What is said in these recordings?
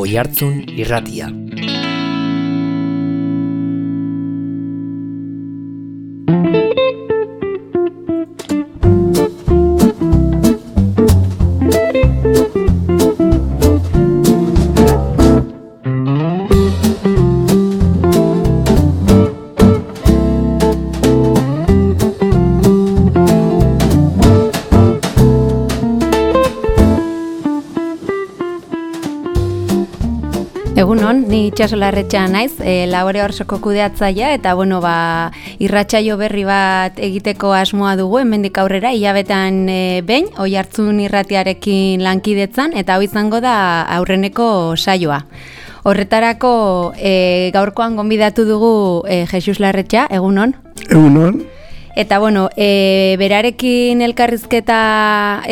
Oihartzun Irratia. Egunon, ni Itxaso Larretxa naiz, Labore Orsoko kudeatzailea eta irratsaio berri bat egiteko asmoa dugu hemendik aurrera hilabetean behin Oihartzun Irratiarekin lankidetzan eta hau izango da aurreneko saioa. Horretarako gaurkoan gonbidatu dugu Jesus Larretxa, egunon? Egunon. Eta berarekin elkarrizketa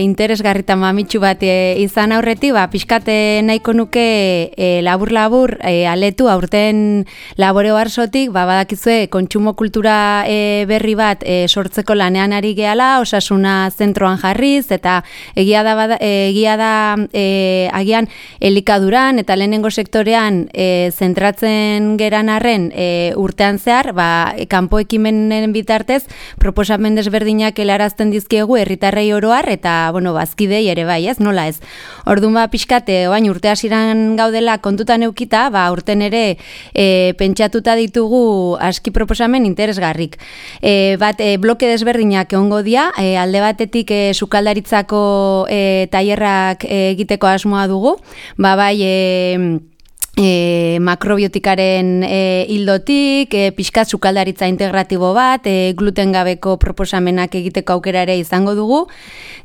interesgarrita mamitsu bat izan aurretik, pixkate nahiko nuke labur-labur aletu aurten Labore Orsotik, badakizue kontsumo kultura berri bat sortzeko lanean ari gehala, osasuna zentroan jarriz, eta egia da agian elikaduran eta lehenengo sektorean zentratzen geran arren urtean zehar, kanpo ekimenen bitartez proposamen desberdinak helarazten dizkiegu herritarrei oroar eta bazkidei ere bai, ez? Nola ez? Orduan pixkate orain urte hasieran gaudela kontutan eukita, urten ere pentsatuta ditugu aski proposamen interesgarrik. Bloke desberdinak egongo dira, alde batetik sukaldaritzako tailerrak egiteko asmoa dugu, makrobiotikaren hildotik, pixkat sukaldaritza integratibo bat, gluten gabeko proposamenak egiteko aukera ere izango dugu.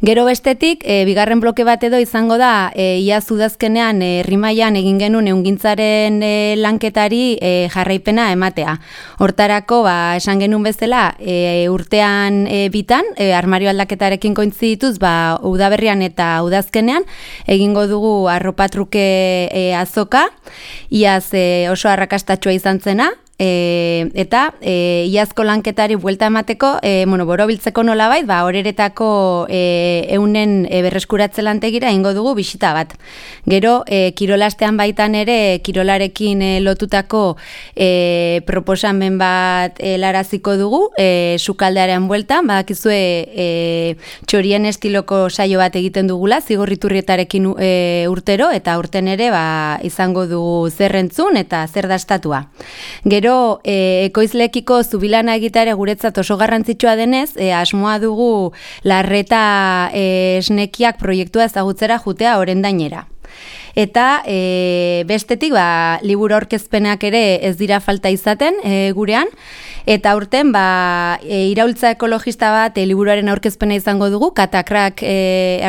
Gero bestetik, bigarren bloke bat edo izango da, iaz udazkenean Rimaian egin genuen ehungintzaren lanketari jarraipena ematea. Hortarako, esan genuen bezala, urtean bitan, armario aldaketarekin kointzidituz, udaberrian eta udazkenean, egingo dugu arropatruke azoka, iaz oso arrakastatxoa izan zena, eta iazko lanketari buelta emateko, borobiltzeko nolabait, horeretako eunen berreskuratze lantegira ingo dugu bisita bat. Gero, kirolastean baitan ere, kirolarekin lotutako proposamen bat laraziko dugu, sukaldearen bueltan, badakizue txorien estiloko saio bat egiten dugula, Zigorriturrietarekin urtero, eta urten ere izango dugu zerrentzun eta zer dastatua. Gero, ekoizlekiko zubilana egitare guretzat oso garrantzitsua denez, asmoa dugu Larreta esnekiak proiektua ezagutzera jutea orendainera. Eta bestetik, liburu aurkezpenak ere ez dira falta izaten gurean, eta aurten iraultza ekologista bat liburuaren aurkezpena izango dugu, Katakrak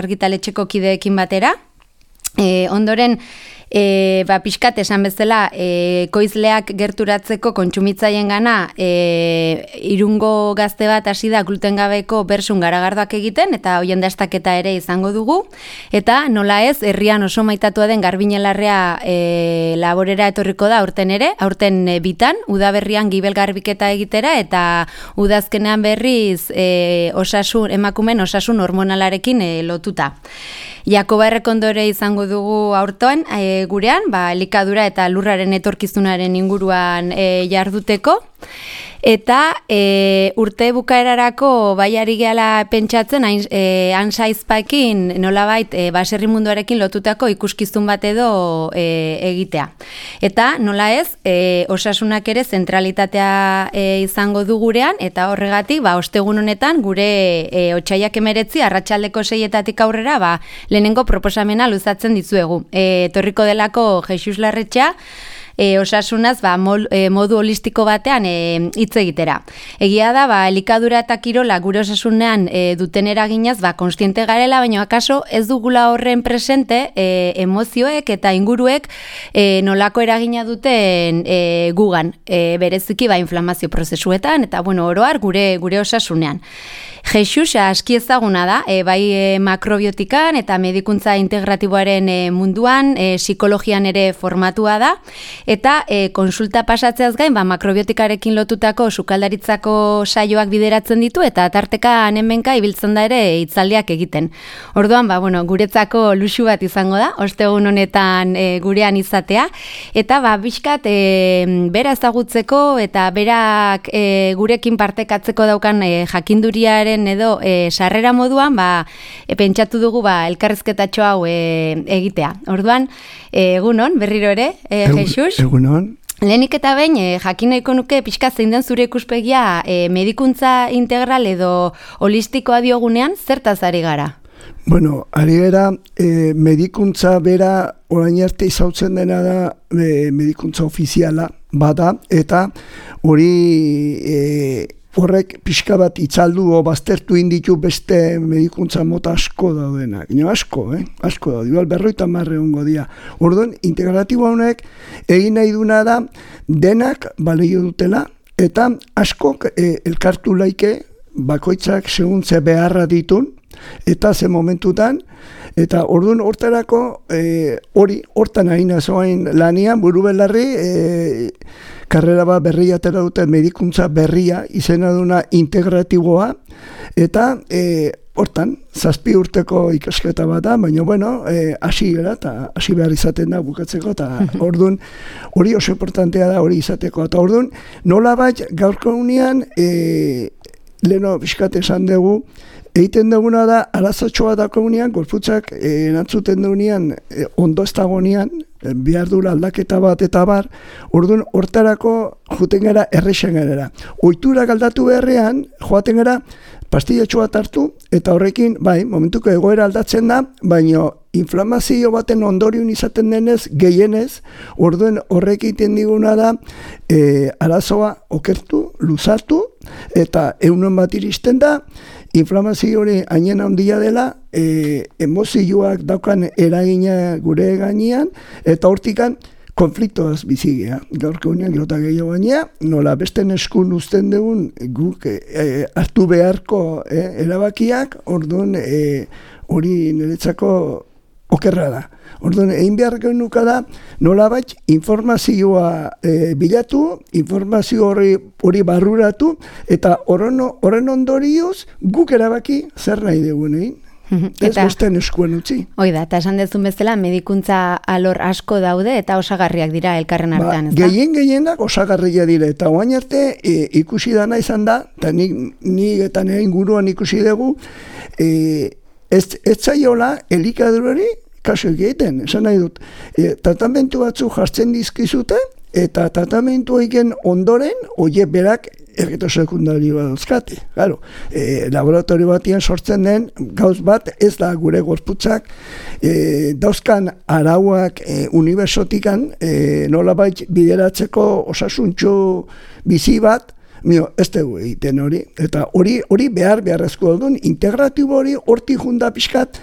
argitaletxeko kideekin batera. Ondoren, pixkat esan bezala, ekoizleak gerturatzeko kontsumitzaien gana Irungo gazte bat hasi da gluten gabeko bersun garagardoak egiten, eta hoien dastaketa ere izango dugu, eta nola ez, herrian oso maitatua den Garbiñelarrea laborera etorriko da aurten ere, aurten bitan, udaberrian gibel garbiketa egitera, eta udazkenean berriz emakumen osasun hormonalarekin lotuta. Jakoba Errekondore izango dugu aurtoan gurean, elikadura eta lurraren etorkizunaren inguruan jarduteko. Eta urte bukaerarako ari gehala pentsatzen Ansaizpakin nolabait baserri munduarekin lotutako ikuskizun bat edo egitea. Eta nola ez, osasunak ere zentralitatea izango du gurean, eta horregatik ostegun honetan gure otsaiak 19 arratsaldeko 6etatik aurrera lehenengo proposamena luzatzen dizuegu. Etorriko delako Jesus Larretxa, osasunaz modu holistiko batean hitz egitera. Egia da, elikadura eta kirola gure osasunean duten eraginaz, kontziente garela, baina akaso ez dugula horren presente emozioek eta inguruek nolako eragina duten gugan, bereziki inflamazio prozesuetan, eta oroar gure osasunean. Jesus aski ezaguna da, makrobiotikan eta medikuntza integratiboaren munduan, psikologian ere formatua da, eta konsulta pasatzeaz gain, makrobiotikarekin lotutako sukaldaritzako saioak bideratzen ditu, eta tarteka hemenka ibiltzen da ere hitzaldiak egiten. Orduan, guretzako luxu bat izango da, ostegun honetan gurean izatea, eta bizkat bera ezagutzeko eta berak gurekin partekatzeko daukan jakinduriaren edo sarrera moduan, pentsatu dugu elkarrizketatxo hau egitea. Orduan, egunon, berriro ere, Jesus? Egunon. Lehenik eta behin, jakin nahiko nuke pixka zein den zure ikuspegia medikuntza integral edo holistikoa diogunean, zertaz ari gara? Bueno, ari gara, medikuntza bera orain arte izautzen dena da medikuntza ofiziala bada, eta hori horrek pixka bat itzaldu o baztertu inditu beste medikuntza mota asko daudenak. Asko daude, igual 50 ongo dira. Orduan, integratibo honek egin nahi duna da denak balio dutela, eta askok elkartu laike bakoitzak segun ze beharra ditun, eta ze momentutan, eta orduan hortarako hortan ari nazoain lanian, buru belarri, karrera bat berria atera dute medikuntza berria, izena duna integratiboa, eta hortan, 7 urteko ikasketa bat da, baina, hasi gara, eta hasi behar izaten da bukatzeko, eta orduan, hori oso importantea da hori izateko, eta orduan, nola bat gaurko unean, leheno bizkat esan dugu, egiten duguna da, arazotxoa dako unean, gorputzak erantzuten dugunean, ondo ez dagoenean, behar dula aldaketa bat eta bar, orduan hortarako joaten gara errexen gara. Oiturak aldatu beharrean, joaten gara pastillatxo bat hartu, eta horrekin, momentuko egoera aldatzen da, baina inflamazio baten ondorion izaten denez, gehienez, orduan horrek egiten diguna da, arazoa okertu, luzatu, eta egunon bat iristen da, inflamazio hori hainen handia dela, emozioak daukan eragina gure gainean, eta hortikan konfliktoaz bizigea. Gaurko unean, gerota gehiago gainea, nola besten eskun uzten dugun guk hartu beharko erabakiak, orduan hori niretzako okerra da. Orduan, egin behar genuka da, nola bat informazioa bilatu, informazio hori barruratu, eta horren ondorioz guk erabaki zer nahi dugun egin. Ez besten eskuen utzi. Oida, eta esan dezun bezala, medikuntza alor asko daude eta osagarriak dira elkarren artean, ez da? Gehienak osagarria dira, eta oain arte ikusi dana izan da, eta nik eta nire inguruan ikusi dugu, ez zaiola elikadurari kaso egiten, esan nahi dut. Tratamentu batzu jartzen dizkizute, eta tratamentu egin ondoren, oie berak efektu sekundario bat dauzkate. Claro, laboratorio batian sortzen den gauz bat ez da gure gorputzak dauzkan arauak unibertsotikan nolabait bideratzeko osasuntxo bizi bat, ez dugu egiten hori. Eta hori beharrezko duen, integratibo hori hortik junda pixkat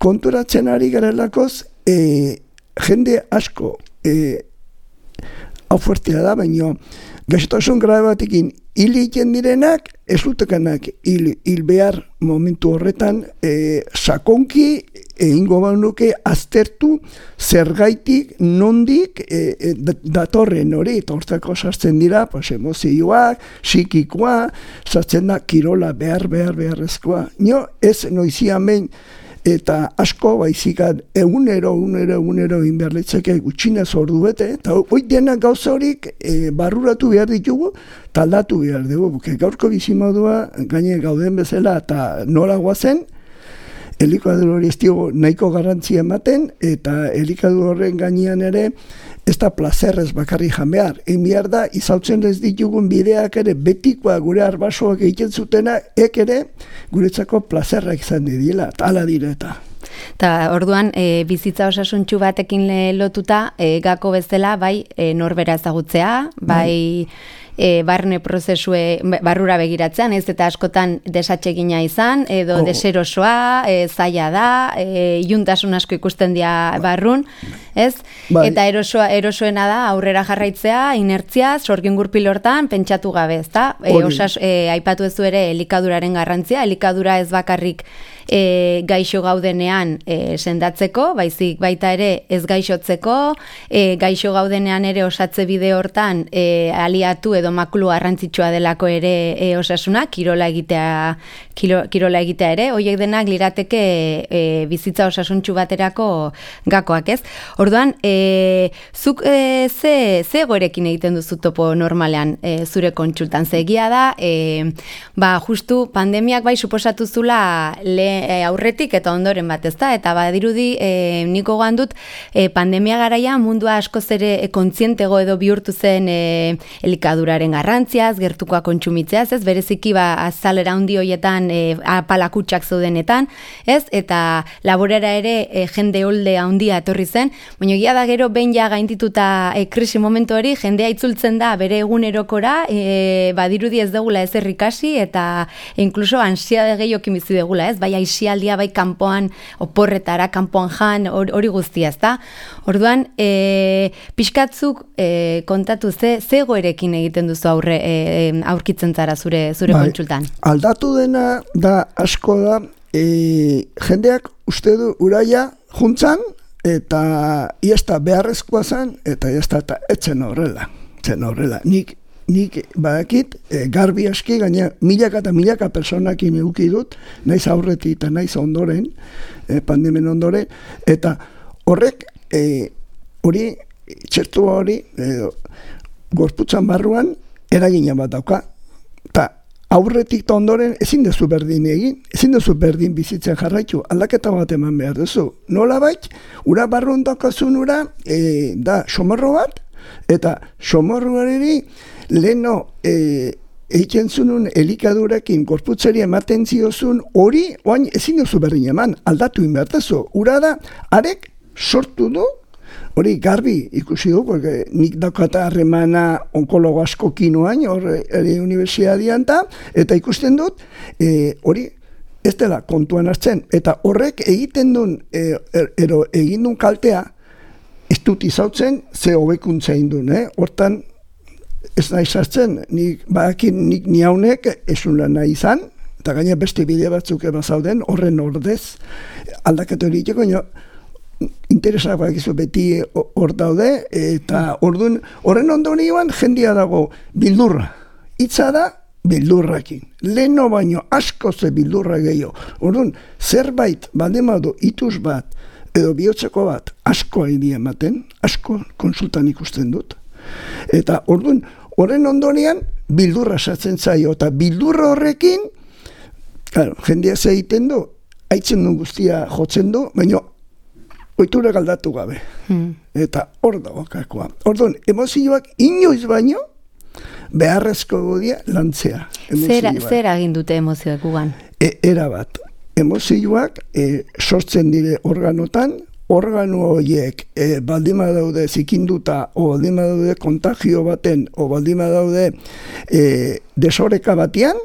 konturatzen ari garelakoz, jende asko hau fuertea da, baina gaixotasun grabe batekin hil egiten direnak, ez dutekanak hil behar momentu horretan sakonki egingo banuke aztertu zergaitik nondik datorren hori, eta hortzako sartzen dira emozioak, psikikoa, sartzen da kirola beharrezkoa. Nio ez noizian behin eta asko baizikat egunero egin behar litzake gutxinez ordu bete, eta hoi denak gauza horik barruratu behar ditugu, taldatu behar dugu. Gaurko bizimodua gaine gauden bezala eta nola guazen, elikadura hori ez diogu nahiko garrantzia ematen, eta elikadura horren gainean ere ez da plazerrez bakarri jan behar. Egin behar da, izautzen ez ditugun bideak ere betikoa gure arbasoak egiten zutena, ere guretzako plazerrak izan dira, eta ala direta. Eta orduan, bizitza osasuntxu batekin lotuta, gako bezala, bai norbera ezagutzea, bai barne prozesue barrura begiratzean, ez eta askotan desatsegina izan, edo deserosoa, zaila da, iluntasun asko ikusten dira barrun, ez? Bai. Eta erosoena da aurrera jarraitzea, inertzia, sorgin gurpil hortan pentsatu gabe, ezta? Aipatu ezu ere elikaduraren garrantzia, elikadura ez bakarrik gaixo gaudenean sendatzeko, baizik baita ere ez gaixotzeko, gaixo gaudenean ere osatze bide hortan aliatu edo makulu garrantzitsua delako ere osasuna, kirola egitea ere, horiek denak lirateke bizitza osasuntsu baterako gakoak, ez? Orduan, zuk ze egoerekin egiten duzu topo normalean zure kontsultan, ze egia da, justu pandemiak bai suposatu zula aurretik eta ondoren bat, ezta? Eta badirudi niko goan dut pandemia garaia mundua askoz ere kontzientego edo bihurtu zen elikaduraren garrantziaz, gertukoa kontsumitzeaz, ez? Bereziki azalera handi hoietan apalakutsak zeudenetan, ez? Eta laborera ere jende holde handia etorri zen, baina egia da gero behin ja gaindituta krisi momentu hori, jendea itzultzen da bere egunerokora, badirudi ez degula ezer ikasi eta inkluso ansiade gehiokin bizi degula, ez? Bai aisialdia, bai kanpoan oporretara, kanpoan jan, hori guztia, ezta? Orduan, pixkatzuk kontatu ze egoerekin egiten duzu aurkitzen zara zure kontsultan? Aldatu dena da asko da, jendeak uste du uraia juntzan, eta iazta beharrezkoa zen, eta iazta eta etzen horrela. Nik badakit, garbi aski, gaina milaka eta milaka personakin eduki dut, naiz aurretik eta naiz ondoren, pandemen ondoren, eta horrek, hori, txertua hori, gorputzan barruan, eragina bat dauka, eta aurretik eta ondoren ezin dezu berdin egin, ezin dezu berdin bizitzen jarraitu, aldaketa bat eman behar duzu. Nola bait, ura barruan daukazun ura, da somorro bat, eta somorroari leheno egiten zunun elikadurekin gorputzeri ematen ziozun hori, oain ezin duzu berdin eman, aldatu inbertazu. Ura da, arek sortu du, hori garbi ikusi du, porque nik daukata harremana onkologo asko kinoain, hori universidadian eta ikusten dut, hori ez dela kontuan hartzen, eta horrek egiten duen, egin duen kaltea, ez dut izautzen, ze hobekuntza egin duen, hortan, ez nahi sartzen, nik niaunek esun lan nahi izan, eta gaina beste bide batzuk zauden, horren ordez, aldaketa hori iteko, interesak bakizu beti hor daude, eta horren ondorioan jendia dago bildurra. Hitza da bildurrakin. Leheno baino asko ze bildurra gehiago. Orduan, zerbait baldemadu ituz bat, edo bihotzeko bat, asko egin ematen, asko konsultan ikusten dut. Eta orduan, horren ondorian bildurra sartzen zaio, eta bildurra horrekin, jendea ze egiten du, haitzen du guztia jotzen du, baina ohitura galdatu gabe. Eta hor dago kakoa. Orduan, emozioak inoiz baino, beharrezko godia lantzea. Zer egin dute emozioak gugan? Era bat. Emozioak sortzen dire organotan, organo horiek baldima daude zikinduta, o baldima daude kontagio baten, o baldima daude desoreka batean,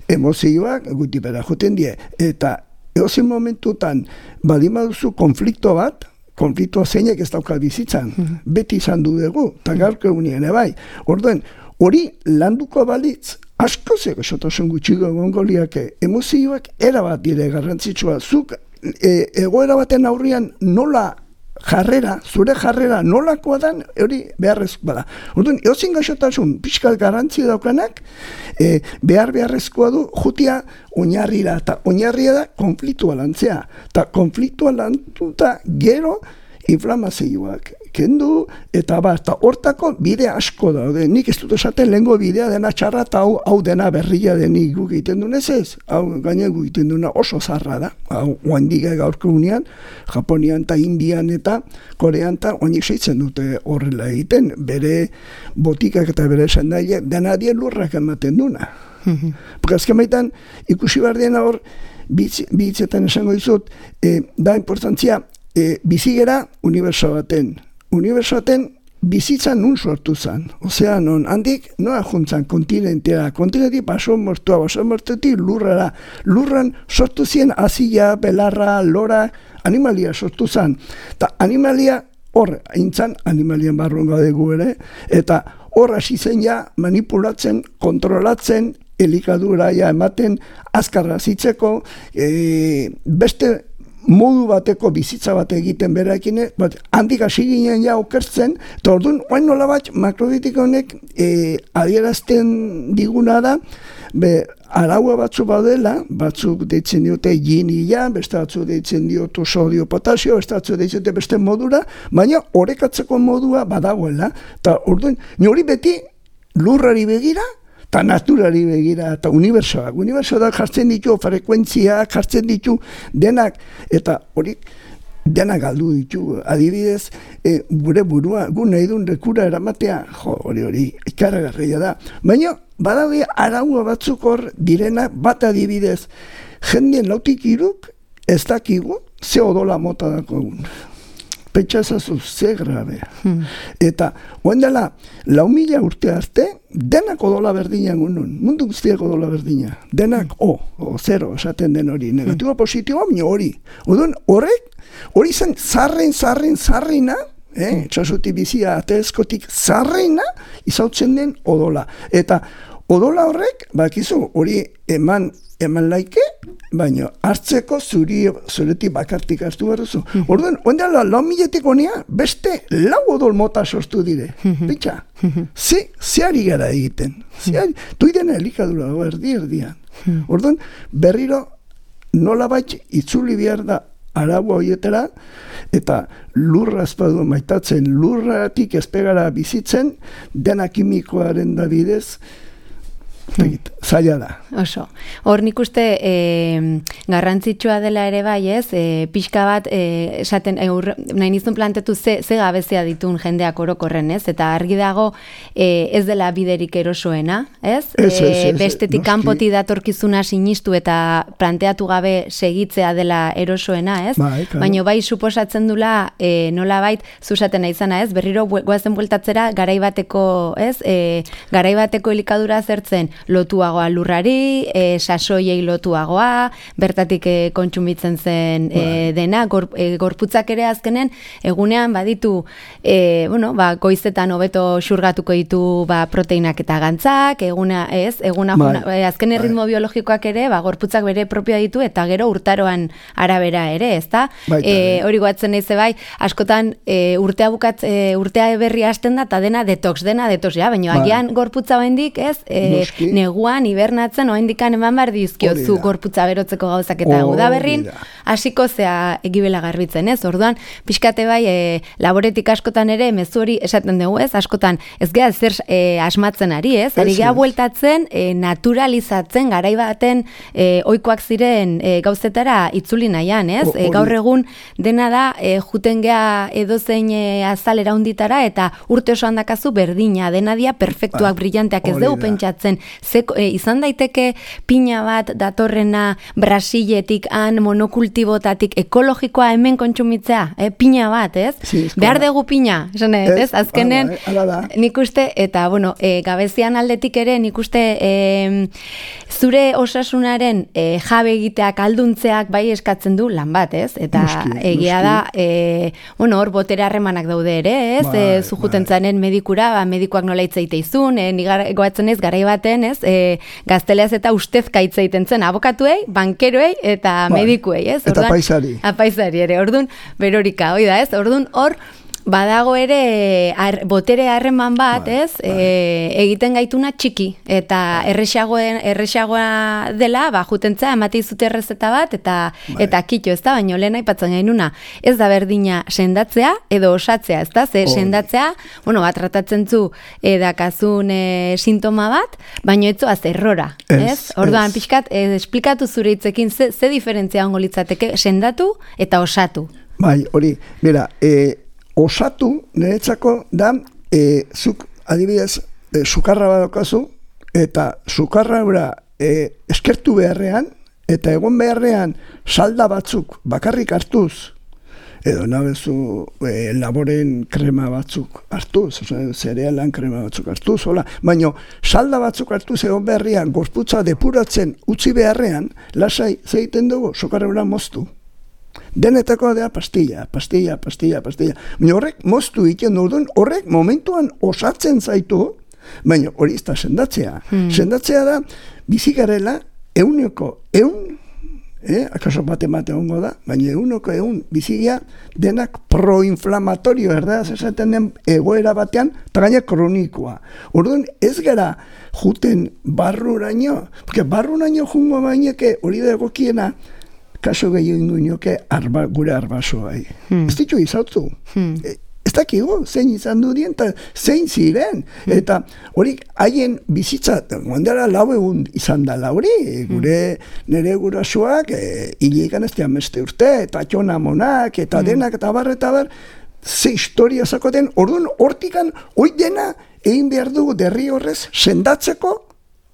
emozioak gutipera joten die. Eta edozen momentutan baldima duzu konflikto bat, konfliktoa zeinek ez dauka bizitzan, beti izan du dugu, eta gaurko egunien bai. Orduan, hori landuko balitz, asko zeko esotasun gutxiko gongoliak emozioak erabat dire garrantzitsua. Zuk egoera baten aurrian nola zure jarrera nolakoa dan, hori beharrezkoa da. Orduan, eozin gaixotasun pixkat garrantzi daukanak, beharrezkoa du jutia oinarrira, eta oinarria da konfliktua lantzea. Eta konfliktua lantuta gero inflamazioak kendu, eta hortako bide asko daude. Nik ez dut esaten lehengo bidea dena txarra, eta hau dena berria denik guk egiten duen ez. Hau gaina guk egiten duena oso zarra da. Hau oandik gaurko unean, Japonian eta Indian eta Korean eta oanik seitzen dute horrela egiten. Bere botikak eta bere esandaile dena dien lurrak ematen duna. Porque azken baitan, ikusi behar dena hor, bitzetan esango dizut, da importantzia, bizigera uniberso baten. Uniberso baten bizitza nun sortu zen. Osea, non, handik, noa juntzan kontinentera, baso mortuetik lurrara. Lurran sortu zien azila, belarra, lora, animalia sortu zen. Eta animalia, hor, aintzan, animalien barruan gadegu ere, eta hor hasi zen ja manipulatzen, kontrolatzen, elikadura ja ematen, azkarra zitzeko, beste modu bateko bizitza bat egiten berakin, handik hasi ginen ja okertzen, eta orduan, oain nola bat, makrobiotiko honek adierazten diguna da, araua batzu badela, batzuk deitzen diote yin-ia, beste batzuk deitzen diotu sodio, potasio, beste batzuk deitzen diote beste modura, baina orekatzeko modua badagoela, eta orduan, hori beti lurrari begira, eta naturari begira, eta unibertsoak. Unibertsoak jartzen ditu, frekuentziak jartzen ditu, denak, eta hori denak galdu ditu. Adibidez, gure burua, gu nahi duen rekura eramatea, hori, ikaragarria da. Baina, badaude araua batzuk hor direnak, bat adibidez, jendien lautik iruk, ez dakigu, ze odola mota dako egun. Pentsazazu, ze grabea. Eta, oen dela, 4.000 urte arte, denak odola berdina gunun. Mundu guztiak odola berdina. Denak zero, esaten den hori. Negatiboa, positiboa, baina hori. Odun, hori zen zarrina, txasuti bizia ateezkotik zarrina, izautzen den odola. Eta, odola horrek, bakizu, hori eman laike, baina hartzeko zuretik bakartik hartu behar. Orduan, ondela, 4.000-etik honea, beste 4 odol mota sortu dire. Bitxa, zeari gara egiten. Tuidena elikadura, erdian. Orduan, berriro nola bat itzuli behar da araua horietara, eta lurra ezpadu maitatzen, lurratik ezpegara bizitzen, dena kimikoaren da bidez, zaila da. Oso. Hor nik uste garrantzitsua dela ere bai, ez? Pixka bat, esaten, nahi nizun plantetu ze gabezia ditun jendeak orokorren, ez? Eta argi dago ez dela biderik erosoena, ez? Bestetik kanpoti datorkizuna sinistu eta planteatu gabe segitzea dela erosoena, ez? Baina bai suposatzen dula nolabait zuzaten izana, ez? Berriro goazen bueltatzera garaibateko, ez? Garaibateko elikadura zertzen lotuagoa lurrari, sasoiei lotuagoa, bertatik kontsumitzen zen dena, gorputzak ere azkenen, egunean baditu, goizetan hobeto xurgatuko ditu proteinak eta gantzak, azken ritmo biologikoak ere, gorputzak bere propioa ditu, eta gero urtaroan arabera ere, ezta? Hori goatzen nahi bai, askotan urtea berri hasten da, eta dena detox, ja, baina agian gorputza baindik, ez? Neguan, hibernatzen, oaindikan eman behar dizkiozu gorputza berotzeko gauzak eta udaberrin, hasiko zea egibela garbitzen, ez? Orduan, pixkate bai, laboretik askotan ere, mezu hori esaten dugu, ez? Askotan, ez geha zer asmatzen ari, ez? Ari geha bueltatzen, naturalizatzen, garai baten ohikoak ziren gauzetara itzuli nahian, ez? Gaur egun dena da, juten geha edozein azalera hunditara, eta urte oso handakazu berdina, dena dia perfektuak, brillanteak, ez dugu pentsatzen, izan daiteke pina bat datorrena Brasiletik, monokultibotatik, ekologikoa hemen kontsumitzea, pina bat, ez? Behar dugu pina, ez? Azkenen, nik uste, eta, gabezian aldetik ere, nik uste, zure osasunaren jabe egiteak, alduntzeak bai eskatzen du lan bat, ez? Eta egia da, hor botere harremanak daude ere, ez? Zujuten zanen medikura, medikoak nola hitzeite izun, goatzen ez, garai baten, ez? Gazteleaz eta ustezka hitz egiten zen abokatuei, bankeroei eta medikuei, ez? Eta paisari. Paisari ere, orduan, berorika, hoi da, ez? Orduan, hor, badago ere botere harreman bat, ez? Egiten gaituna txiki, eta erresagoa dela, jutentza, emate izute errezeta bat, eta kitxo, ez da? Baina lehen aipatzen gainuna, ez da berdina sendatzea, edo osatzea, ez da? Sendatzea, tratatzen zu dakazun sintoma bat, baina etzoaz errora, ez? Orduan, pixkat, esplikatu zure hitzekin, ze diferentzia ongo litzateke, sendatu eta osatu. Bai, hori, bera, osatu, niretzako da, zuk adibidez, sukarra badokazu, eta sukarra eskertu beharrean, eta egon beharrean salda batzuk bakarrik hartuz, edo nabezu laboren krema batzuk hartuz, zerealan krema batzuk hartuz, hola, baina salda batzuk hartuz egon beharrian, gorputza depuratzen utzi beharrean, lasai zeiten dugu, sokarreura moztu. Denetako da pastilla. Baina horrek moztu iten duen, horrek momentuan osatzen zaitu, baina hori ez da sendatzea. Sendatzea da, bizigarela, euneko, akaso bate hongo da, baina euneko bizigia denak proinflamatorio, erdaz esaten den egoera batean, eta gaina kronikoa. Orduan ez gara juten barruraino, porque barruraino jungo baineke hori da egokiena, kaso gehiago ingoinoke gure arbasoai. Ez ditu izautu. Ez dakigu, zein izan du dien, eta zein ziren. Eta hori haien bizitza, guandara 4 egun izan da hori, nire gurasoak, hilekan ez dian beste urte, eta txona monak, eta denak, eta bar, ze historia zakoten, orduan hortikan, hoi dena, egin behar dugu derri horrez, sendatzeko,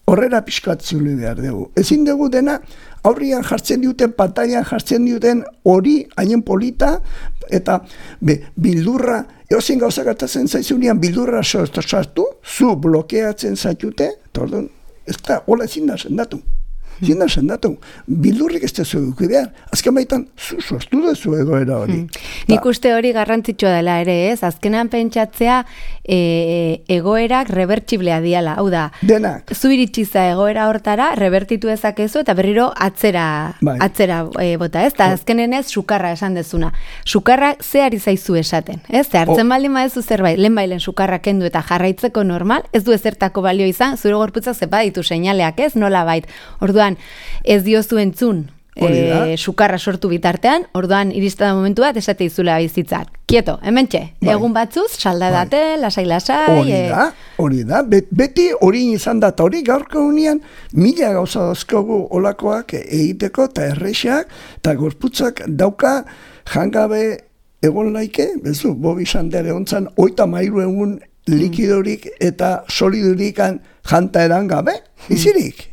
horrela pixkatzuli behar dugu. Ezin dugu dena, aurrian jartzen duten, pantailan jartzen duten hori, haien polita, eta bildurra, eozin gauzak hartatzen zaizunean, bildurra sartu, zu blokeatzen zaitute, eta orduan, ez da, hola ezin da sendatu. Bildurrik ez da zuek behar. Azken baitan, zu sortu duzu egoera hori. Nik uste hori garrantzitsua dela ere, ez? Azkenan pentsatzea egoerak rebertsiblea diala. Hau da, denak. Zu iritsiza egoera hortara, rebertitu ezakezu eta berriro atzera bota, ez? Eta azkenen ez, sukarra esan dezuna. Sukarra ze ari zaizu esaten, ez? Ze hartzen baldin badezu zerbait, lehen sukarra kendu eta jarraitzeko normal, ez du ezertako balio izan, zure gorputzak zepa ditu seinaleak, ez? Nola bait. Orduan, ez diozu entzun sukarra sortu bitartean, orduan iristen da momentu bat esate izula bizitzak. Kieto, hementxe, egun batzuz, salda date, lasai. Hori da, beti hori izan da, eta hori gaurko unian, 1000 gauza dazkogu olakoak egiteko, eta errexak, eta gorputzak dauka jangabe egon laike, bezu, Bobi Sandere ontzan, 33 egun likidorik eta solidurikan janta eran gabe, izirik.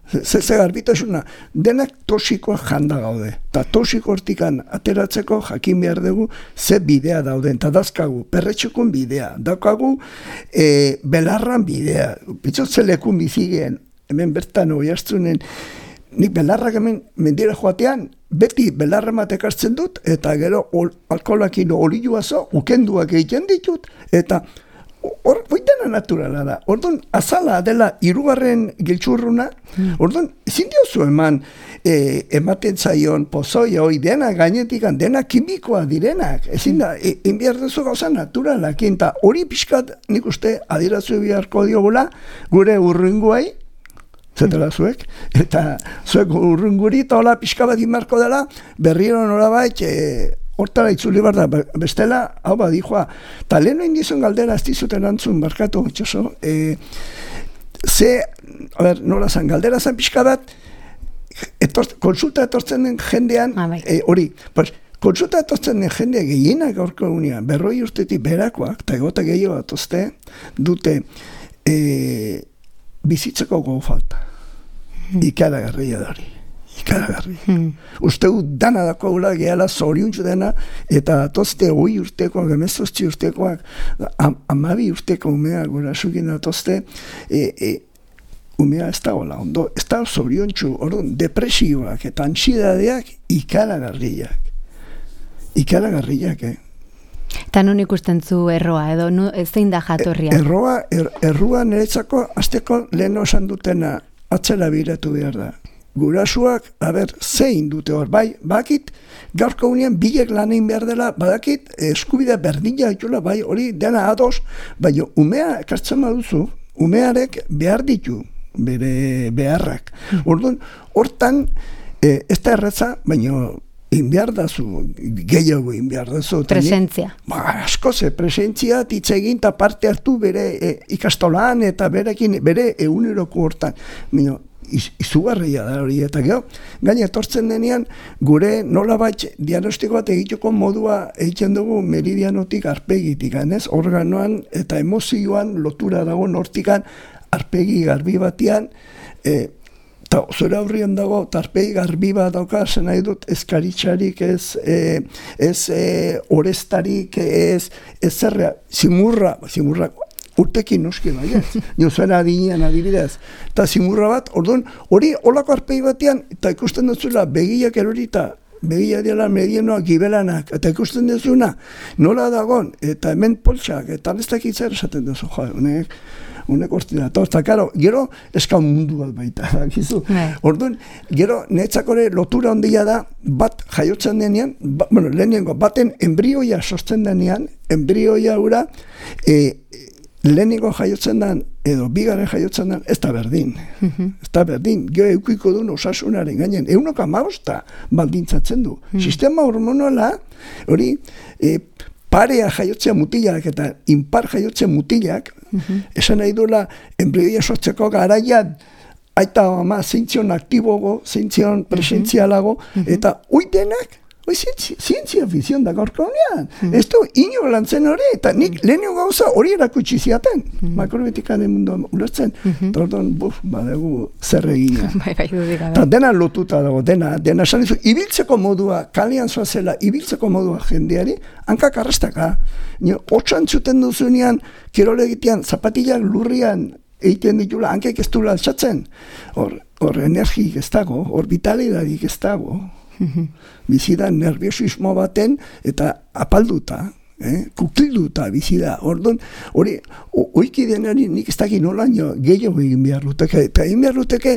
Ze garbitasuna, denak toxikoak janda gaude, eta toxiko hortikan ateratzeko jakin behar dugu ze bidea dauden, eta dazkagu perretxukun bidea, daukagu belarran bidea, bitzotze lekun bizigeen, hemen bertan oiartzunen, nik belarrak hemen mendira joatean, beti belarra matek hartzen dut, eta gero alkoholakin olioazo, ukenduak egiten ditut, eta hori dena naturala da. Orduan, azala dela 3. giltxurruna, orduan, ezin diozu ematen zaion pozoia, hoi dena gainetikan, dena kimikoa direnak, ezin da, inbiardezu gauza naturalak, eta hori pixkat nik uste adirazu biharko diogula, gure urrunguai, zetela zuek, eta zuek urrunguri eta hola pixka bat inbarko dela, berriro norabait, hortara itzuli bar da, bestela, hau badijoa, eta leheno indizun galdera ez dizuten antzun, barkatu, itxoso, nola zan, galdera zan pixka bat, konsulta etortzen den jendean, hori, konsulta etortzen den jendea gehienak gaurko unean, 40 urtetik berakoak, eta egota gehiago atozte, dute bizitzeko gogo falta. Ikaragarria da hori. Uste dana dako gula gehala zoriuntzu dena, eta atozte 20 urtekoak, 18 urtekoak, 12 urteko umea gura sukin atozte, umea ez da gola ondo, ez da zoriontzu, depresioak eta antsidadeak ikaragarriak, Eta non ikusten zu erroa, edo zein da jatorria? Erroa niretzako, azteko lehen osan dutena atzera biratu behar da. Gurasuak, zein dute hor, bakit, gaurko unean bilek lanein behar dela, badakit, eskubidea berdina ditula, hori dena ados, baina umea ekartzen baduzu, umearek behar ditu, bere beharrak. Orduan, hortan, ez da erretza, baina inbiardazu, gehiago inbiardazu. Presentzia. Asko presentzia, titzegin eta parte hartu bere ikastolan eta bere eguneroko hortan. Baina, izugarria da hori, eta gero, gaina etortzen denean, gure nolabait diagnostiko bat egiteko modua egiten dugu meridianotik arpegitik, organoan eta emozioan lotura dago hortikan arpegi garbi batean, eta zure aurrian dago, tarpei garbi bat dauka, zen nahi dut, ez karitxarik, ez orestarik, ez zerrea, zimurra, urtekin noski baiet, niozuera adinean adibidez, eta zimurra bat, orduan, hori olako arpei batean, eta ikusten duzula, begiak erorita, begia dela medienoak, gibelanak, eta ikusten duzuna, nola dagon, eta hemen poltsak, eta bestak itzer esaten duzu, honek ortinator, eta karo, gero eskau mundu bat baita, gizu. Orduan, gero netzakore lotura ondia da, bat jaiotzen denean, lehenengo, baten embrioia sosten denean, embrioia ura, lehenengo jaiotzen den, edo bigaren jaiotzen den, ez da berdin. Ez da berdin. Gero eukiko duen osasunaren gainen. 1,5 baldintzatzen du. Sistema hormonala, hori, parea jaiotzea mutilak eta impar jaiotzea mutilak, esan nahi duela, embrioia sortzeko garaian, aita ama zeintzion aktibogo, zeintzion presentzialago, eta uitenak, zientzia fizion da gaurko honean. Ez du, ino lantzen hori, eta nik lehenio gauza hori erakutsi ziaten. Makrobitikaren mundu ulertzen. Eta orduan, badegu zer egina. Eta dena lotuta dago, dena esan dizu, ibiltzeko modua, kalean zoazela, ibiltzeko modua jendeari, hankak arrastaka. Otsan zuten duzunean, kirole egitean, zapatillak lurrian, egiten ditula, hankek ez du altxatzen. Hor energik ez dago, hor vitalidadik ez dago. Bizida nerviosismo baten eta apalduta, kukilduta bizida. Orduan, hori, oiki denari nik ez dakit nola gehiago egin behar luteke. Eta egin behar luteke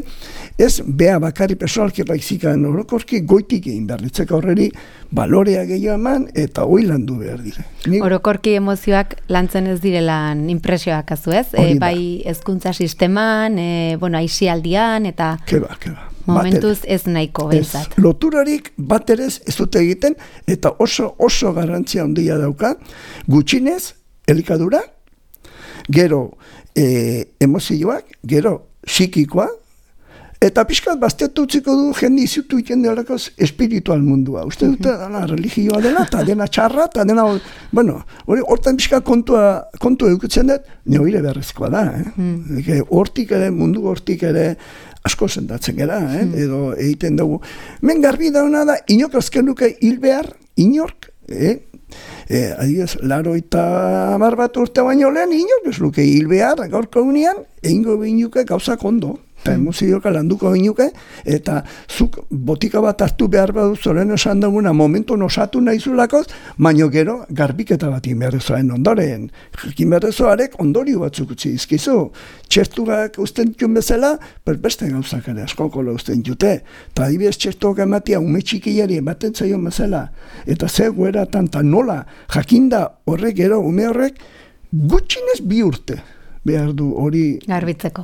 ez bea bakarri personalki baizikan orokorki goitik egin behar litzeka horreri balorea gehiago eman eta hoi landu behar dire. Orokorki emozioak lantzen ez direlan impresioak azu ez? Bai hezkuntza sisteman, aisialdian eta... Keba. Momentuz ez nahiko behintzat. Loturarik baterez ez dute egiten eta oso garrantzia handia dauka, gutxinez, elikadura, gero emozioak, gero psikikoa, eta pixkat bazteatu utziko du jende izutu iten delakoz espiritual mundua. Uste dute dena religioa dela, eta dena txarra, eta dena, hortan pixkat kontu edukitzen dut, neoire beharrezkoa da. Hortik ere, mundu hortik ere, asko sentatzen gara, edo egiten dugu. Men garbi dauna da, inok azken luke hil behar, inork, adibidez, 80 bat urte baino lehen, inok ez luke hil behar, gaurko unean, egingo behinuke gauzak ondo. Eta emozioka landuko ginuke, eta zuk botika bat hartu behar badu zoren esan duguna momentu osatu nahizulakoz, baino gero garbiketa bat inberrezoaren ondoren. Inberrezoarek ondorio batzuk utzi izkizu. Txertuak usten ditun bezala, beste gauzak ere askokolo usten jute. Eta adibidez txertuak ematia ume txikilari ematen zaion bezala. Eta ze gueratan eta nola jakinda horrek gero ume horrek gutxinez 2 urte. Behar du hori garbitzeko.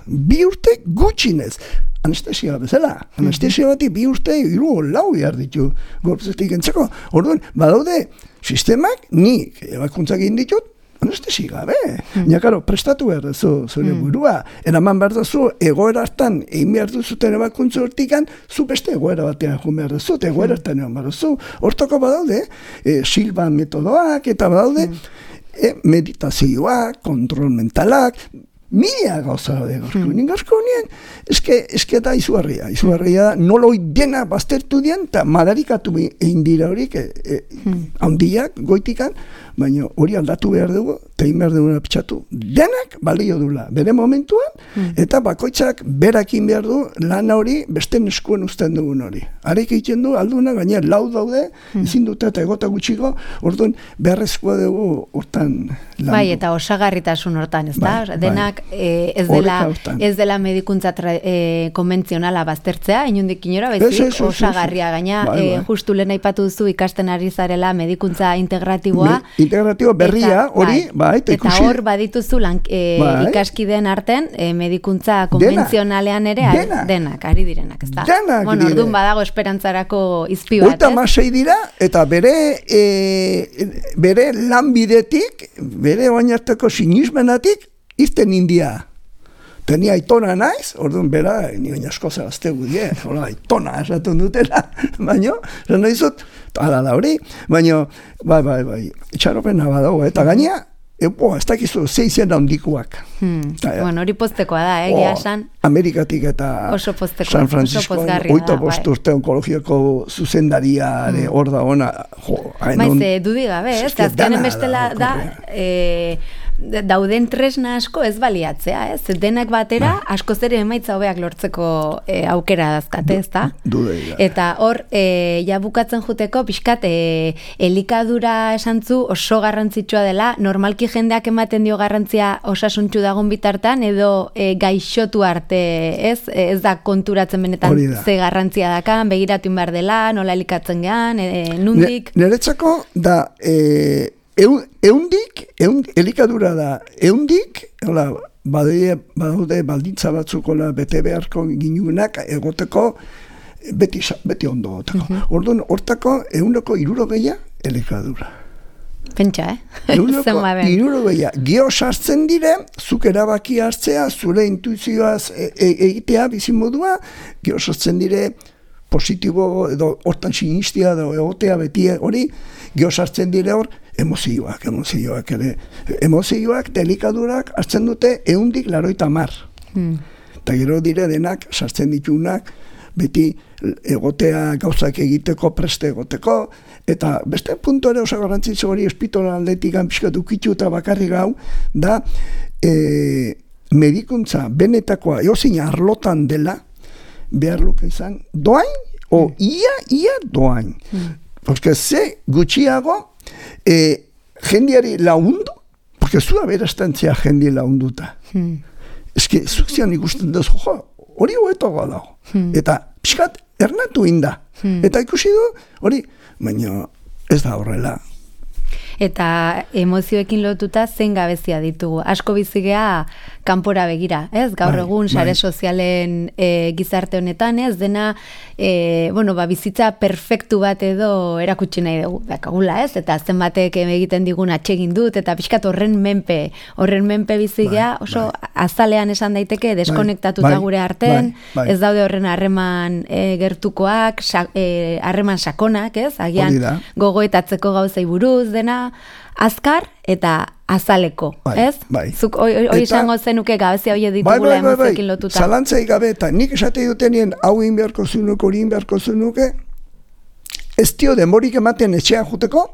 2 urte gutxinez. Anestesia bezala. Anestesia bati 2 urte 3 4 behar ditu gorputzetik entzeko. Orduan, badaude sistemak nik ebakuntzak egin ditut anestesi gabe. Karo, prestatu behar duzu zure burua. Eraman behar duzu egoera hartan egin behar duzuten ebakuntza hortikan zu beste egoera batean joan behar duzu, egoera hartan egon behar duzu. Hortoko badaude, Silvan metodoak eta badaude meditazioak, kontrol mentalak, mila gauza da gorko. Gaurko nien, eske da izugarria da, noloi dena baztertu dien, eta madarikatu egin dira horik, handiak, goitikan, baina hori aldatu behar dugu, eta egin behar dugu apitxatu, denak balio dula, bere momentuan, eta bakoitzak berakin behar du, lan hori beste neskuen uzten dugun hori. Arek egiten du, alduna, gaina lau daude, ezin dute eta egota gutxiko, orduan beharrezkoa dugu hortan lan. Bai, eta osagarritasun hortan, ez da? Denak ez dela medikuntza konbentzionala baztertzea, inundik inora, bezik osagarria gaina, justu lehen aipatu duzu ikasten ari zarela medikuntza integratiboa, integratibo berria, hori, eta hor badituzu ikaskideen arten medikuntza konbentzionalean ere denak, ari direnak, ez da? Bueno, orduan badago esperantzarako izpi bat, ez? 36 dira, eta bere lanbidetik, bere oinarteko sinismenatik, irten india. Tenia aitona naiz, orduan bera, nioen asko zerazte gudie, aitona esaten dutela, baina, zan dizut, ala da hori, baina, bai, itxaropena badago, eta gaina, ez dakizu, 6 handikoak. Bueno, hori poztekoa da, egia esan. Amerikatik eta San Francisco, 8 urte onkologiako zuzendariare hor da ona. Maize, dudik gabe, ez? Azkenen bestela da, dauden tresna asko ez baliatzea, ez? Denak batera, asko ere emaitza hobeak lortzeko aukera dazkate, ez da? Eta hor, ja bukatzen juteko, pixkat, elikadura esantzu oso garrantzitsua dela, normalki jendeak ematen dio garrantzia osasuntxu dagon bitartan, edo gaixotu arte, ez? Ez da konturatzen benetan ze garrantzia dakan, begiratu behar dela, nola elikatzen gean, nundik? Niretzako da, elikadura da, badaude baldintza batzukola bete beharko ginunak egoteko, beti ondo egoteko. Orduan, hortako 160 elikadura. Pentsa, 160. Geo sartzen dire, zuk erabaki hartzea, zure intuizioaz egitea, bizimodua, geo sartzen dire, positibo edo hortan sinistia edo egotea beti hori, geo sartzen dire hor, emozioak ere. Emozioak, delikadurak, hartzen dute 180. Eta gero dire denak, sartzen ditunak, beti egotea gauzak egiteko, preste egoteko, eta beste puntu ere oso garrantzitsu hori espitola aldetik pixkat ukitu eta bakarri gau, da medikuntza benetakoa eozin arlotan dela, behar luke izan, doain, ia doain. Porque ze gutxiago jendiari laundu, porque zua berastantzia jendi launduta. Eske, zuk zian ikusten duz, hori hoetoa dago. Eta pixkat ernatu inda. Eta ikusi du, hori, baina ez da horrela. Eta emozioekin lotuta zein gabezia ditugu. Asko bizigea kanpora begira, ez? Gaur egun sare sozialen gizarte honetan, ez? Dena, bizitza perfektu bat edo erakutsi nahi dugu, dakagula, ez? Eta zenbatek egiten digun atsegin dut, eta pixkat horren menpe bizigea, oso azalean esan daiteke, deskonektatuta gure arten, ez daude horren harreman gertukoak, harreman sakonak, ez? Agian gogoetatzeko gauzei buruz, dena, azkar eta azaleko, ez? Zuk hori izango zenuke gabezia hori ditugula emozioekin lotuta. Zalantzai gabe, eta nik esate dutenien hau inbeharko zunuke, hori inbeharko zunuke, ez dio demorik ematen etxean juteko,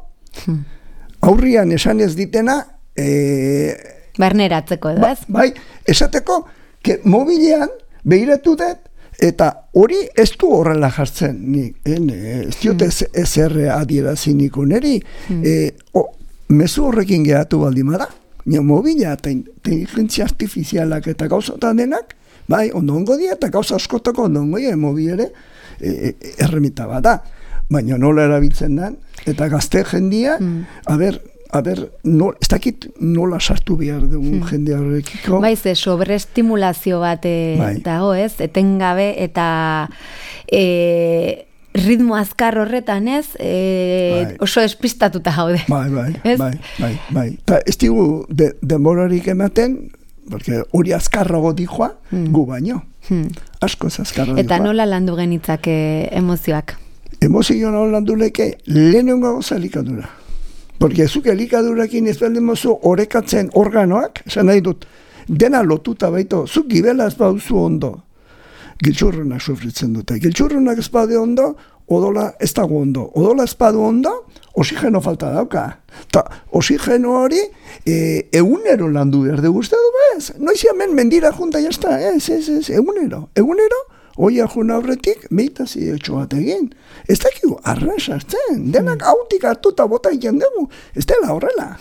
aurrian esan ez ditena, barneratzeko edo, ez? Bai, esateko, mobilean behiratu dut, eta hori ez du horrela jartzen, ez diote ezer adieraziko neri, mezu horrekin gehatu baldimada, mobila eta inteligentzia artifizialak eta gauzotan denak, bai, ondongo dia eta gauza askotako ondongo dia, mobil ere erremita bat da, baina nola erabiltzen den, eta gazte jendia, ez dakit nola sartu behar dugu jende horrekiko. Baiz, sobreestimulazio bat dago, ez? Etengabe eta ritmo azkar horretan, ez? Oso espistatuta gaude. Bai. Eta ez digu denborarik ematen, porque hori azkarrago dijoa, gu baino. Asko ez azkarrago dijoa. Eta nola landu genitzake emozioak? Emozio nola landu leke, lehenengo gauza elikadura. Porque zuk elikadurakin ez baldin mozu orekatzen organoak, esan nahi dut, dena lotuta baito, zuk gibela ez bauzu ondo, giltxurrunak sufritzen dute. Giltxurrunak ez badu ondo, odola ez dago ondo. Odola ez badu ondo, oxigeno falta dauka. Ta oxigeno hori, egunero landu behar dugu uste du, bez? Noiz hemen mendira junta jazta, egunero. Oia juna horretik, meitazi etxo bat egin. Ez dakigu, arren sartzen. Denak hautik hartuta bota egin dugu. Ez dela horrela.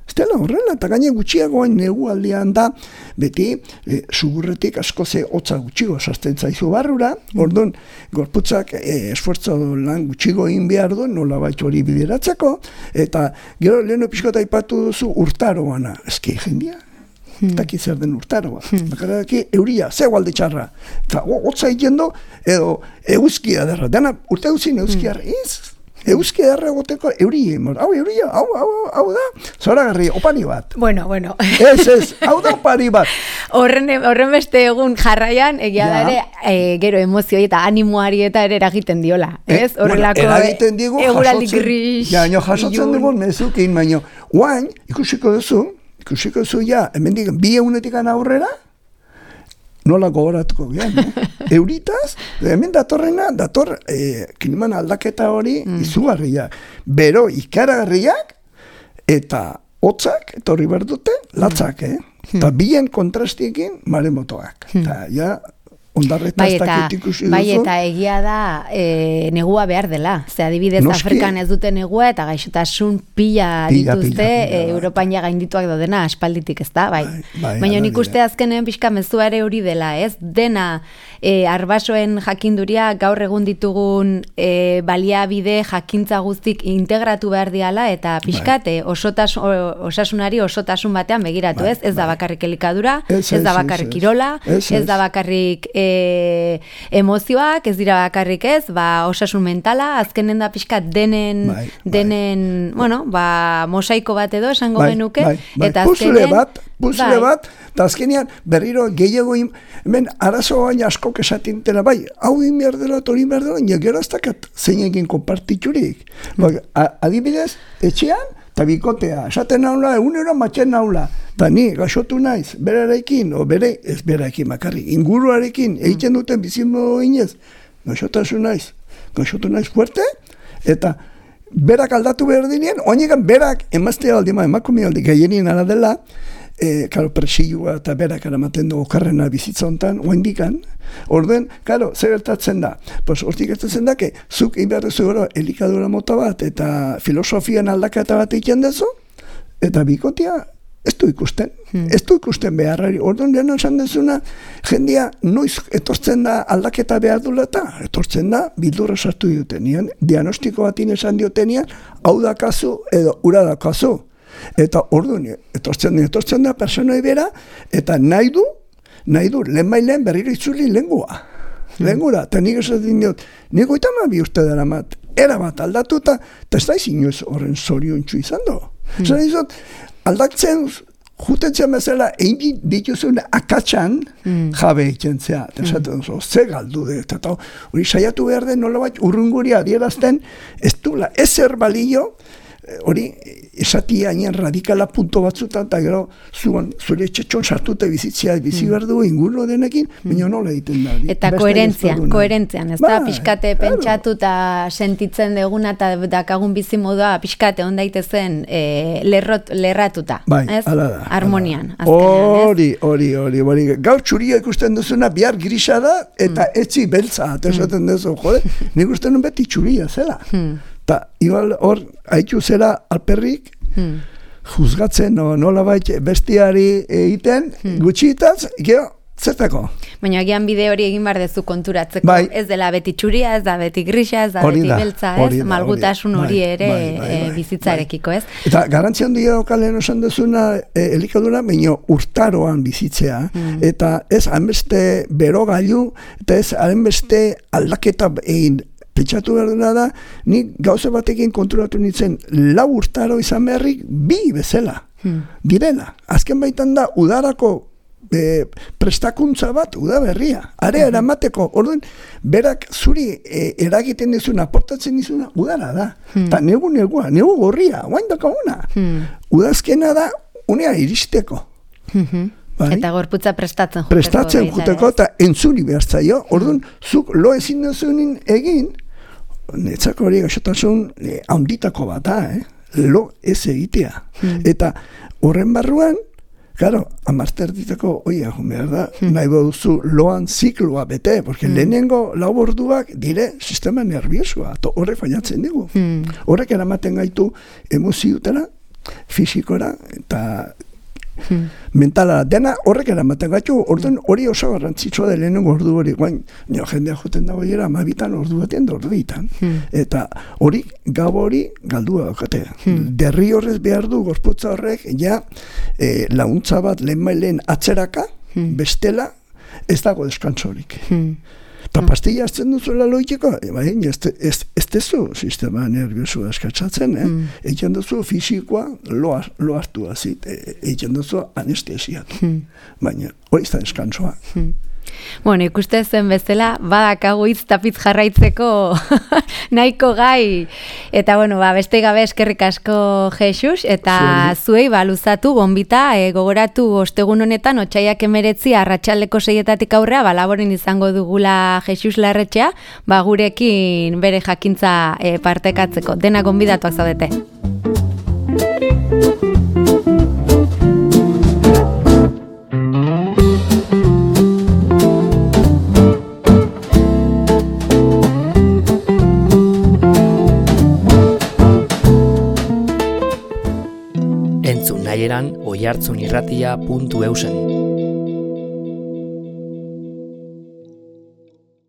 Eta gaine gutxiagoan negu aldean da, beti, sugurretik asko ze hotza gutxigo sartzen zaizu barrura, orduan, gorputzak esfuerzo lan gutxigo egin behar du, nola baitxo hori bideratzeko, eta gero leheno pixkota aipatu duzu urtaroana. Eski jendia. Taki zer den urtaroa. Bakaraki euria, zeu alde txarra. Eta hotza egin du, edo eguzkia derra. Dena urte guzin eguzkia ez. Euski edarra egoteko euri, hau da, zoragarri, opari bat. Bueno. Ez, hau da opari bat. Horren beste egun jarraian, egia da ere, gero emozioi eta animoari eta ere eragiten diola, ez? Horrelako eragiten digu, jasotzen dugu, mezukin, baina, guain, ikusiko duzu, hemendik, 2 egunetik aurrera, nola gogoratuko gian, euritaz, hemen dator kliman aldaketa hori izugarriak, bero ikaragarriak, eta hotzak, etorri berdute, latzak, eta bien kontrastiekin maremotoak, eta ja, ondarretastak ikusi duzu. Bai, eta egia da negua behar dela. Ze adibidez Afrikan ez dute negua eta gaixotasun pila dituzte Europan ja gaindituak daudena aspalditik, ez da? Bai. Baina nik uste azkenen pixka mezua ere hori dela, ez? Dena arbasoen jakinduria gaur egun ditugun baliabide jakintza guztik integratu behar diala eta pixkat osasunari osotasun batean begiratu, ez? Ez da bakarrik elikadura, ez da bakarrik kirola, ez da bakarrik emozioak, ez dira bakarrik ez, osasun mentala, azkenen da pixkat denen, mosaiko bat edo esango genuke, eta azkenen... Puzle bat, eta azkenean berriro gehiago, hemen arazo baina asko kesatintela, hau inbiar dela, tori inbiar dela, gero ez dakat zeinekin konpartiturik. Adibidez, etxean, eta bikotea, esaten naula, egunero matxen naula, eta ni gaixotu naiz, berarekin, ez berarekin makarri, inguruarekin, egiten duten bizimo inez, gaixotu naiz fuerte, eta berak aldatu behar dinean, oinegan berak emaztea aldima, emakumea aldi gehienien ala dela, presioa eta berak eramaten du okarrena bizitza hontan, oendikan, orden, zer gertatzen da? Hortik gertatzen da, zuk inberrezu gero elikadura mota bat eta filosofian aldaketa bat egiten dezu, eta bikotia ez du ikusten beharrari. Orduan lehena esan dezuna, jendia noiz etortzen da aldaketa behar dula eta etortzen da bildurra sartu diotenean, diagnostiko batin esan diotenean, hau da kasu edo ura da kasu. Eta orduan, etortzen da personai bera, eta nahi du, lehen berriro itzuli lengua. Lengura, eta nik esaten diot, nik goitama bi uste dara mat, erabat aldatu eta ez da izin joz horren zorion txu izan do. Zan izot, aldatzen, jutetzen bezala, egin dituzun akatsan jabe egiten zea. Eta esaten duzu, ze galdu de, eta hori saiatu behar den nola bat urrunguri adierazten, ez dula, ezer balio, hori esatia hain radikala punto batzutan, eta gero zure txetxon sartute bizitzea bizi behar du ingurro denekin, baina nola egiten da. Eta koherentzian, ez da, pixkate pentsatu eta sentitzen deguna eta dakagun bizi modua pixkate ondaitezen lerratuta, ez? Harmonian. Hori. Gaur txuria ikusten duzuna, bihar grisa da, eta etzi beltza, eta esaten duzu, nik uste nun beti txuria zela. Eta igual hor, haitu zera alperrik, juzgatzen, nola baita bestiari egiten, gutxitaz, gero, zertako? Baina agian bide hori egin behar dezu konturatzeko, ez dela beti txuria, ez da beti grisa, ez da beti beltza, ez, malgutasun hori ere bizitzarekiko, ez? Eta garantzian dira okalen esan duzuna elikadura, baina urtaroan bizitzea, eta ez hainbeste berogailu, eta ez hainbeste aldaketa egin, pentsatu behar dena da, nik gauza batekin konturatu nintzen, 4 urtaro izan beharrik, 2 bezala, direla. Azken baitan da, udarako prestakuntza bat, udaberria, area eramateko, orduan, berak zuri eragiten dizuna, aportatzen dizuna, udara da. Eta negu gorria, guain dakaguna. Udazkena da, unea iristeko. Eta gorputza prestatzen juteko, eta entzuri behar zaio, orduan, zuk lo ezin duzunin egin, netzako hori gaixotasun handitako bat da, lo ez egitea. Eta horren barruan, claro, amarter ditako, behar da, nahi baduzu loan zikloa bete, porque lehenengo 4 orduak dire sistema nerviosua, horrek fallatzen dugu. Horrek eramaten gaitu emoziutera, fisikora, eta mentala dena horrek eramaten gaitu, orduan hori oso garrantzitsua da lehenengo ordu hori, jendea joten dago era 12 ordu batean da ordu ditan. Eta hori, gabo hori galdua daukate. Derri horrez behar du gorputza horrek, ja launtza bat lehen atzeraka, bestela, ez dago deskantzo horik. Eta pastilla hartzen duzuela loiteko, baina ez tezu sistema nerviosu askatzatzen, egiten duzu fisikoa lo hartu azit, egiten duzu anestesiatu. Baina hori izan eskansoa. Bueno, ikuste zen bezala, badakagu hitz tapitz jarraitzeko nahiko gai. Eta, bueno, beste gabe eskerrik asko Jesus, eta zuei luzatu, bonbita, gogoratu ostegun honetan, otsaiak 19 arratsaldeko 6 aurrea, laboren izango dugula Jesus Larretxea, gurekin bere jakintza partekatzeko. Dena gonbidatuak zaudete. Entzun nahieran oihartzunirratia.eusen.